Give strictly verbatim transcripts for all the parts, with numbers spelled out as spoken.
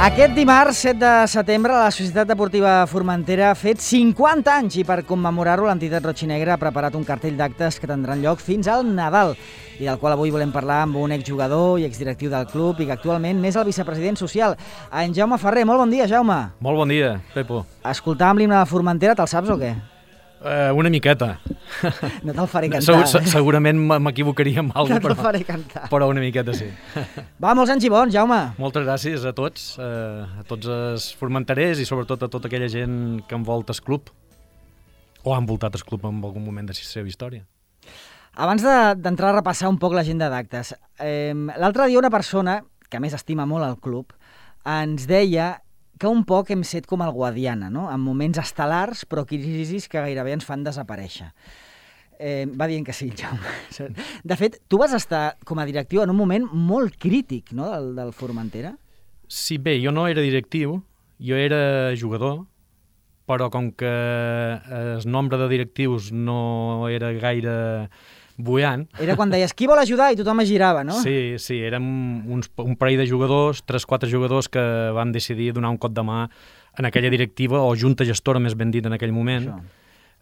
Aquest dimarts, set de setembre, la Societat Deportiva Formentera ha fet cinquanta anys i per commemorar-ho l'entitat Roig-i-Negra ha preparat un cartell d'actes que tindran lloc fins al Nadal i del qual avui volem parlar amb un exjugador i exdirectiu del club i que actualment n'és el vicepresident social, en Jaume Ferrer. Molt bon dia, Jaume. Molt bon dia, Pepo. Escoltàvem l'himne de Formentera, te'l saps o què? Uh, una miqueta. No te'l faré cantar. Segur, eh? Segurament m'equivocaria amb alguna cosa, no te'l faré cantar. Però una miqueta sí. Va, molts anys i bons, Jaume. Moltes gràcies a tots, uh, a tots els formenterers i sobretot a tota aquella gent que envolta el club o ha envoltat el club en algun moment de la seva història. Abans d'entrar a repassar un poc l'agenda d'actes, eh, l'altre dia una persona, que a més estima molt el club, ens deia que un poc hem set com el Guadiana, no? En moments estel·lars, però crisis que gairebé ens fan desaparèixer. Eh, va dient que sí, Jaume. De fet, tu vas estar com a directiu en un moment molt crític, no?, del, del Formentera. Sí, bé, jo no era directiu, jo era jugador, però com que el nombre de directius no era gaire buiant. Era quan deies, qui vol ajudar? I tothom es girava, no? Sí, sí, érem uns, un parell de jugadors, tres, quatre jugadors que van decidir donar un cop de mà en aquella directiva, o junta gestora, més ben dit, en aquell moment,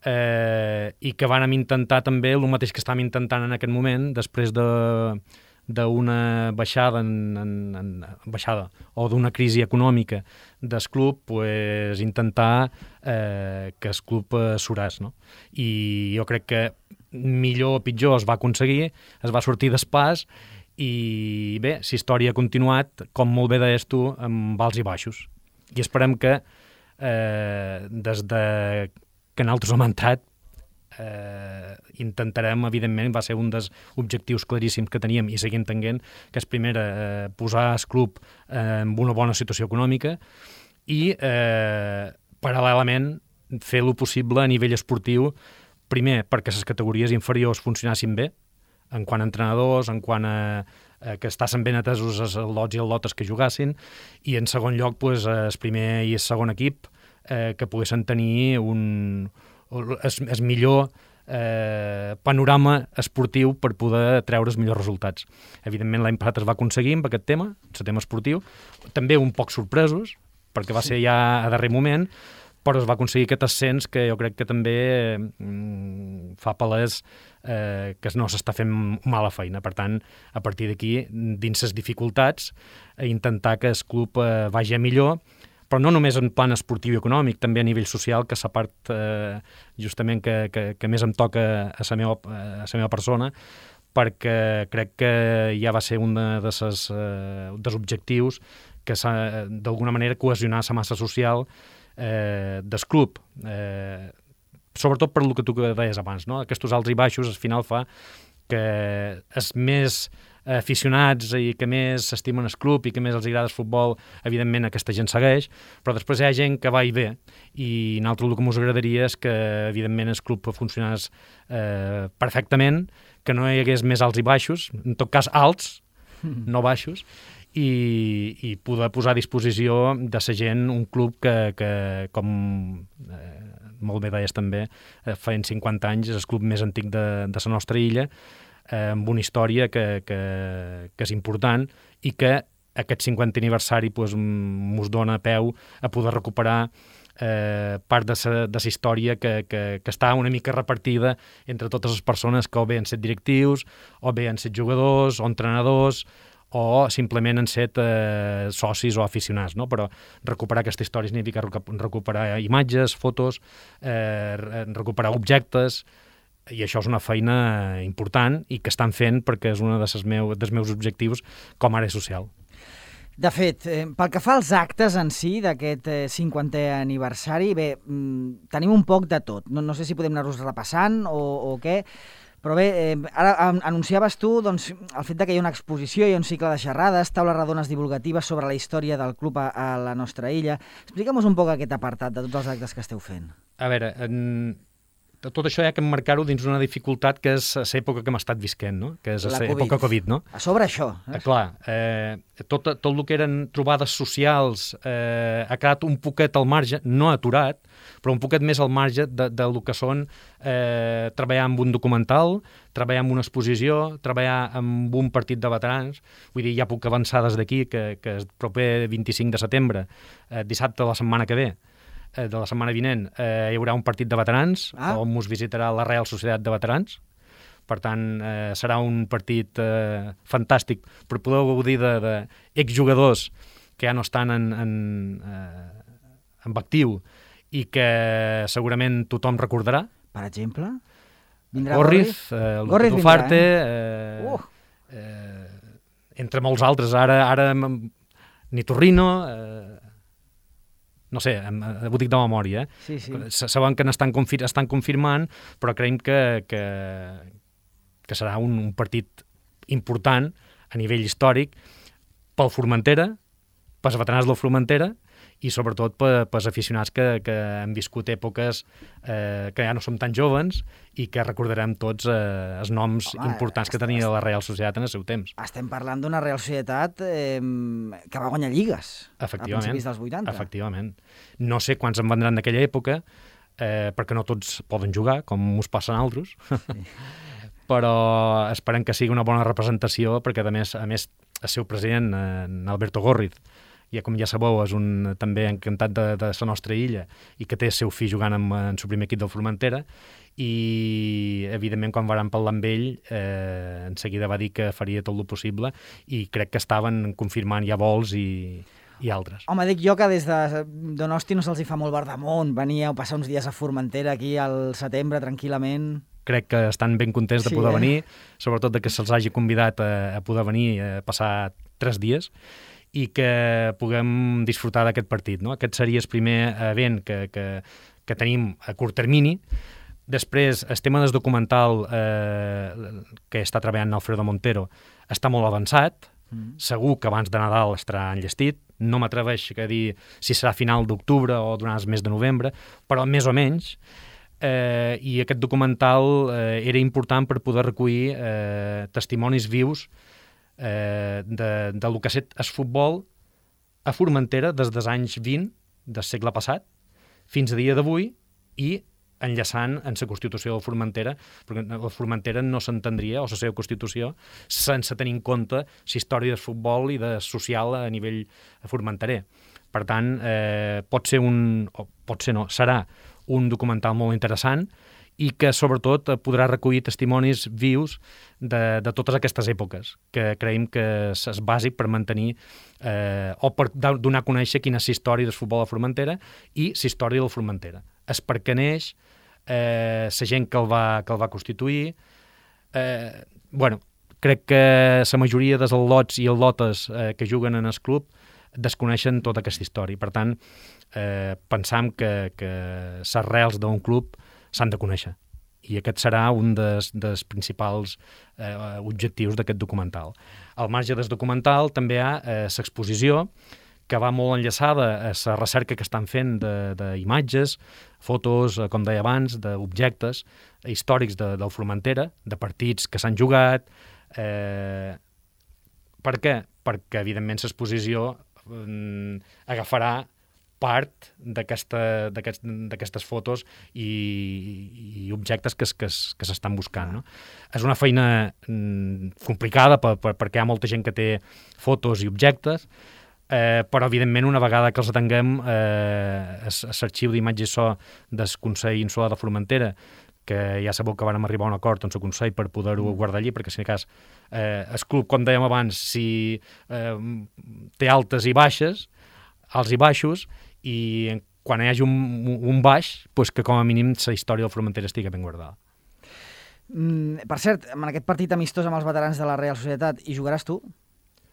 eh, i que vàrem intentar també el mateix que estàvem intentant en aquest moment, després de d'una baixada, en, en, en, baixada o d'una crisi econòmica del club, pues, intentar eh, que el club eh, suràs, no? I jo crec que millor o pitjor es va aconseguir, es va sortir d'espàs i bé, la història ha continuat, com molt bé deies tu, amb alts i baixos. I esperem que eh, des de que nosaltres hem entrat eh, intentarem, evidentment, va ser un dels objectius claríssims que teníem i seguim tenint, que és primer eh, posar el club eh, en una bona situació econòmica i eh, paral·lelament fer lo possible a nivell esportiu, primer perquè les categories inferiors funcionassin bé, en quant a entrenadors, en quant a, a que estassin ben atesos els lots i els lotes que jugassin, i en segon lloc pues, el primer i el segon equip eh, que poguessin tenir un, el millor eh, panorama esportiu per poder treure els millors resultats. Evidentment l'any passat es va aconseguir amb aquest tema, el tema esportiu, també un poc sorpresos, perquè va ser ja a darrer moment, però es va aconseguir aquest ascens que jo crec que també mm, fa palès eh, que no s'està fent mala feina. Per tant, a partir d'aquí, dins les dificultats, eh, intentar que el club eh, vagi millor, però no només en plan esportiu i econòmic, també a nivell social, que és la part eh, justament que, que, que més em toca a la meva, a la meva persona, perquè crec que ja va ser un de ses, eh, dels objectius que s'ha d'alguna manera cohesionar la massa social Eh, del club, eh, sobretot per el que tu deies abans, no? Aquests alts i baixos al final fa que els més aficionats i que més s'estimen el club i que més els agrada el futbol, evidentment aquesta gent segueix, però després hi ha gent que va i ve i nosaltres el que ens agradaria és que evidentment el club funcionés eh, perfectament, que no hi hagués més alts i baixos, en tot cas alts, no baixos, I, i poder posar a disposició de la gent un club que, que com eh, molt bé deies també, eh, feien cinquanta anys, és el club més antic de, de la nostra illa, eh, amb una història que, que, que és important i que aquest cinquantè aniversari pues, mos dona peu a poder recuperar eh, part de sa, de sa història que, que, que està una mica repartida entre totes les persones que o bé han set directius, o bé han set jugadors, o entrenadors, o simplement han set eh, socis o aficionats, no? Però recuperar aquesta història significa recuperar imatges, fotos, eh, recuperar objectes, i això és una feina important i que estan fent perquè és un dels meus, dels meus objectius com a àrea social. De fet, eh, pel que fa als actes en si d'aquest eh, cinquantè aniversari, bé, mm, tenim un poc de tot. No, no sé si podem anar-los repassant o, o què, però bé, eh, ara anunciaves tu doncs, el fet de que hi ha una exposició, hi ha un cicle de xerrades, taules redones divulgatives sobre la història del club a, a la nostra illa. Explica'm un poc aquest apartat de tots els actes que esteu fent. A veure, en... tot això hi ha que emmarcar-ho dins una dificultat que és l'època que hem estat visquent, no? Que és l'època Covid, no? A sobre això. Eh? Clar, eh, tot, tot el que eren trobades socials eh, ha quedat un poquet al marge, no aturat, però un poquet més al marge de, de lo que són eh, treballar amb un documental, treballar amb una exposició, treballar amb un partit de veterans. Vull dir, ja puc avançar des d'aquí que, que el proper vint-i-cinc de setembre, eh, dissabte de la setmana que ve, de la setmana vinent, eh, hi haurà un partit de veterans, ah. on us visitarà la Real Societat de Veterans. Per tant, eh, serà un partit eh, fantàstic per poder gaudir d'exjugadors que ja no estan en, en, eh, en actiu i que segurament tothom recordarà. Per exemple? Vindrà Gorriz, eh, Gorriz Dufarte, eh? eh, uh. eh, entre molts altres. Ara, ara ni Torrino... Eh, no sé, ho dic de memòria, eh? Sí, sí. Saben que n'estan confir estan confirmant, però creiem que, que, que serà un, un partit important a nivell històric pel Formentera, pels veterans del Formentera i sobretot per, pels aficionats que, que han viscut èpoques eh, que ja no som tan joves i que recordarem tots eh, els noms Home, importants que tenia la Real Societat en el seu temps. Estem parlant d'una Real Societat eh, que va guanyar lligues a principis dels vuitanta. Efectivament. No sé quants en vendran d'aquella època, eh, perquè no tots poden jugar, com us passa a altres, sí. Però esperem que sigui una bona representació, perquè a més, a més el seu president, eh, Alberto Gorriz, ja com ja sabeu, és un també encantat de, de la nostra illa i que té el seu fill jugant en, en el primer equip del Formentera i, evidentment, quan van parlar amb ell, eh, en seguida va dir que faria tot el possible i crec que estaven confirmant ja vols i, i altres. Home, dic jo que des de Donosti no se'ls hi fa molt verdamunt, venia a passar uns dies a Formentera aquí al setembre tranquil·lament. Crec que estan ben contents de sí, poder eh? venir, sobretot de que se'ls hagi convidat a, a poder venir a passar tres dies i que puguem disfrutar d'aquest partit, no? Aquest seria el primer event que, que, que tenim a curt termini. Després, el tema del documental eh, que està treballant Alfredo Montero està molt avançat, mm. segur que abans de Nadal estarà enllestit, no m'atreveixo a dir si serà final d'octubre o durant el mes de novembre, però més o menys, eh, i aquest documental eh, era important per poder recollir eh, testimonis vius Eh, de, de lo que ha estat el futbol a Formentera des dels anys vint del segle passat fins a dia d'avui i enllaçant en la Constitució de Formentera, perquè la Formentera no s'entendria, o la seva Constitució, sense tenir en compte la història del futbol i de social a nivell formenterer. Per tant, eh, pot ser un, o pot ser no, serà un documental molt interessant i que, sobretot, podrà recollir testimonis vius de, de totes aquestes èpoques, que creiem que és bàsic per mantenir eh, o per donar a conèixer quina és la història del futbol a Formentera i la història del Formentera. És per què neix, eh, la gent que el va, que el va constituir... Eh, bueno, crec que la majoria dels al·lots i al·lotes eh, que juguen en el club desconeixen tota aquesta història. Per tant, eh, pensam que, que les arrels d'un club s'han de conèixer. I aquest serà un dels, dels principals eh, objectius d'aquest documental. Al marge del documental també hi ha eh, l'exposició, que va molt enllaçada a la recerca que estan fent d'imatges, fotos, eh, com deia abans, d'objectes històrics de, del Formentera, de partits que s'han jugat. Eh, per què? Perquè, evidentment, l'exposició eh, agafarà part d'aquestes fotos i, i objectes que, que, que s'estan buscant. No? És una feina mm, complicada per, per, perquè hi ha molta gent que té fotos i objectes, eh, però evidentment una vegada que els atenguem eh, l'arxiu d'imatges so del Consell Insular de Formentera, que ja sabeu que vam arribar a un acord amb el Consell per poder-ho guardar allí, perquè si en cas eh, el club, com dèiem abans, si eh, té altes i baixes, alts i baixos, i quan hi hagi un, un baix, pues que com a mínim la història del Formentera estigui ben guardada. Mm, per cert, en aquest partit amistós amb els veterans de la Real Societat, hi jugaràs tu?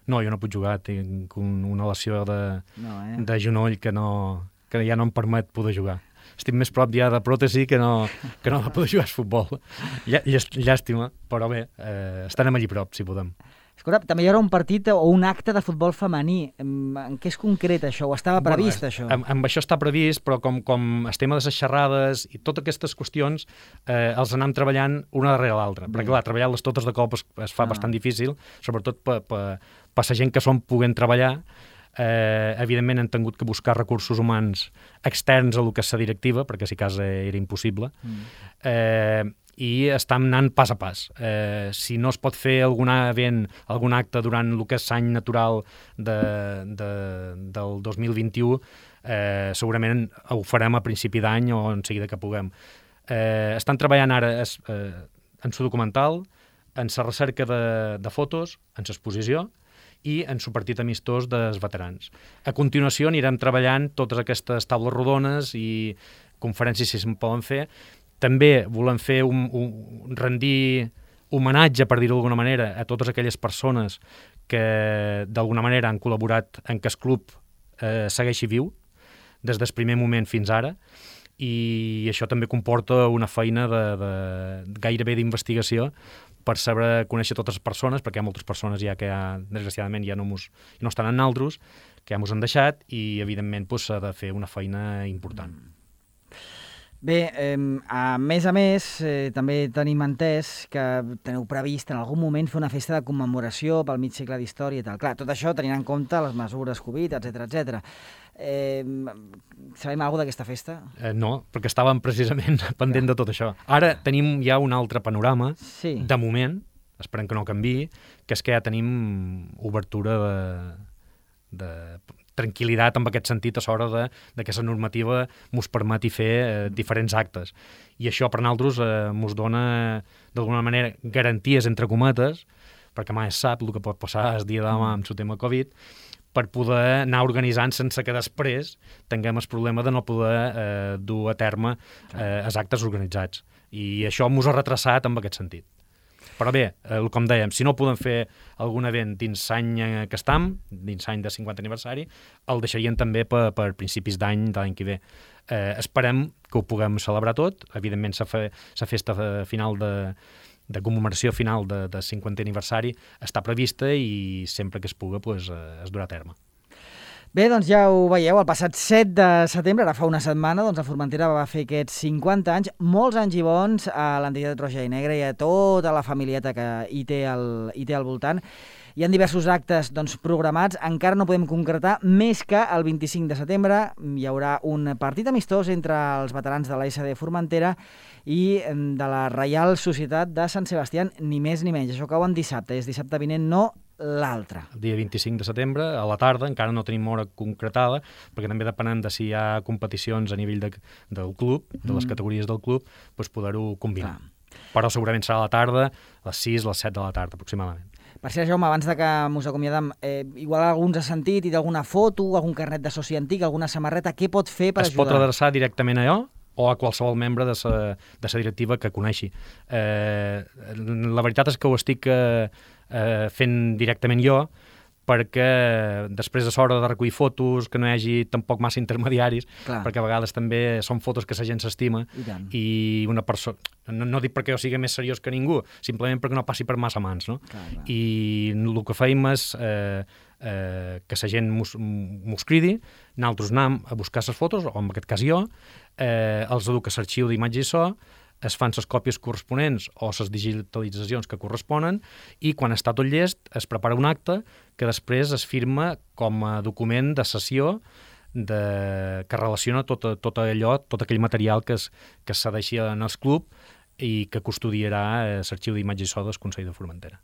No, jo no puc jugar, tinc un, una lesió de, no, eh? de genoll que, no, que ja no em permet poder jugar. Estic més prop ja de pròtesi que no, que no de poder jugar a futbol. Llà, llàstima, però bé, eh, estarem allí prop, si podem. Escolta, també hi haurà un partit o un acte de futbol femení. En què és concret això? O estava previst, bueno, això? Amb, amb això està previst, però com, com el tema de les xerrades i totes aquestes qüestions eh, els anem treballant una darrere l'altra. Perquè, clar, treballar-les totes de cop es, es fa ah. bastant difícil, sobretot per pa, pa la gent que som puguent treballar. Eh, evidentment hem tingut que buscar recursos humans externs a lo que és la directiva, perquè si cas era impossible. Mm. Eh, i estem anant pas a pas. Eh, si no es pot fer algun event, algun acte durant el que és l'any natural de, de, del dos mil vint-i-u, eh, segurament ho farem a principi d'any o en seguida que puguem. Eh, estan treballant ara es, eh, en su documental, en la recerca de, de fotos, en l'exposició i en su partit amistós dels veterans. A continuació anirem treballant totes aquestes taules rodones i conferències si se'n poden fer. També volem fer un, un rendir homenatge, per dir-ho d'alguna manera, a totes aquelles persones que d'alguna manera han col·laborat en que el club eh, segueixi viu des del primer moment fins ara, i això també comporta una feina de, de, gairebé d'investigació per saber conèixer totes les persones, perquè hi ha moltes persones ja que ja, desgraciadament ja no, mos, no estan en naltros, que ja mos han deixat, i evidentment pues, s'ha de fer una feina important. Mm. Bé, eh, a més a més, eh, també tenim entès que teniu previst en algun moment fer una festa de commemoració pel mig segle d'història i tal. Clar, tot això tenint en compte les mesures Covid, etcètera, etcètera. Eh, sabem alguna cosa d'aquesta festa? Eh, no, perquè estàvem precisament pendent ja. de tot això. Ara tenim ja un altre panorama, sí. de moment, esperem que no canviï, que és que ja tenim obertura de... de tranquil·litat en aquest sentit a l'hora de, de que la normativa mos permeti fer eh, diferents actes. I això per nosaltres eh, mos dona d'alguna manera garanties entre cometes, perquè mai es sap el que pot passar el dia de demà amb el tema Covid, per poder anar organitzant sense que després tinguem el problema de no poder eh, dur a terme eh, els actes organitzats. I això mos ha retrasat en aquest sentit. Però bé, eh, com dèiem, si no podem fer algun event dins l'any que estem, dins l'any de cinquanta aniversari, el deixarien també per, per principis d'any de l'any que ve. Eh, esperem que ho puguem celebrar tot. Evidentment, la fe, festa final de, de commemoració final de, de cinquantè aniversari està prevista i sempre que es puga pues, es durà a terme. Bé, doncs ja ho veieu, el passat set de setembre, ara fa una setmana, doncs la Formentera va fer aquests cinquanta anys, molts anys i bons a l'entitat Roja i Negra i a tota la familieta que hi té al, hi té al voltant. Hi ha diversos actes doncs, programats, encara no podem concretar, més que el vint-i-cinc de setembre hi haurà un partit amistós entre els veterans de l'A S D Formentera i de la Reial Societat de Sant Sebastià, ni més ni menys. Això cau en dissabte, és dissabte vinent, no l'altre. El dia vint-i-cinc de setembre, a la tarda, encara no tenim hora concretada, perquè també depenent de si hi ha competicions a nivell de, del club, de les mm. categories del club, doncs poder-ho combinar. Ah. Però segurament serà a la tarda, a les sis, a les set de la tarda, aproximadament. Per cert, Jaume, abans de que mos acomiadem, eh, igual alguns ha sentit i d'alguna foto, algun carnet de soci antic, alguna samarreta, què pot fer per es ajudar? Es pot adreçar directament a jo o a qualsevol membre de sa, de sa directiva que coneixi. Eh, la veritat és que ho estic eh, eh, fent directament jo, perquè després de l'hora de recollir fotos, que no hi hagi tampoc massa intermediaris, clar. Perquè a vegades també són fotos que la gent s'estima i, i una persona... No, no dic perquè jo sigui més seriós que ningú, simplement perquè no passi per massa mans, no? Clar, clar. I el que feim és eh, eh, que la gent mos, mos cridi, nosaltres anem a buscar les fotos, o en aquest cas jo, eh, els educa l'arxiu d'imatge i so, es fan les còpies corresponents o les digitalitzacions que corresponen i quan està tot llest es prepara un acte que després es firma com a document de sessió de, que relaciona tot, tot allò, tot aquell material que es, que s'ha deixat en el club i que custodiarà eh, l'arxiu d'imatge i so del Consell de Formentera.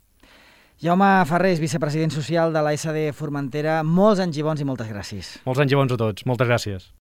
Jaume Ferrés, vicepresident social de l'A S D Formentera, molts anys i bons i moltes gràcies. Molts anys i bons a tots, moltes gràcies.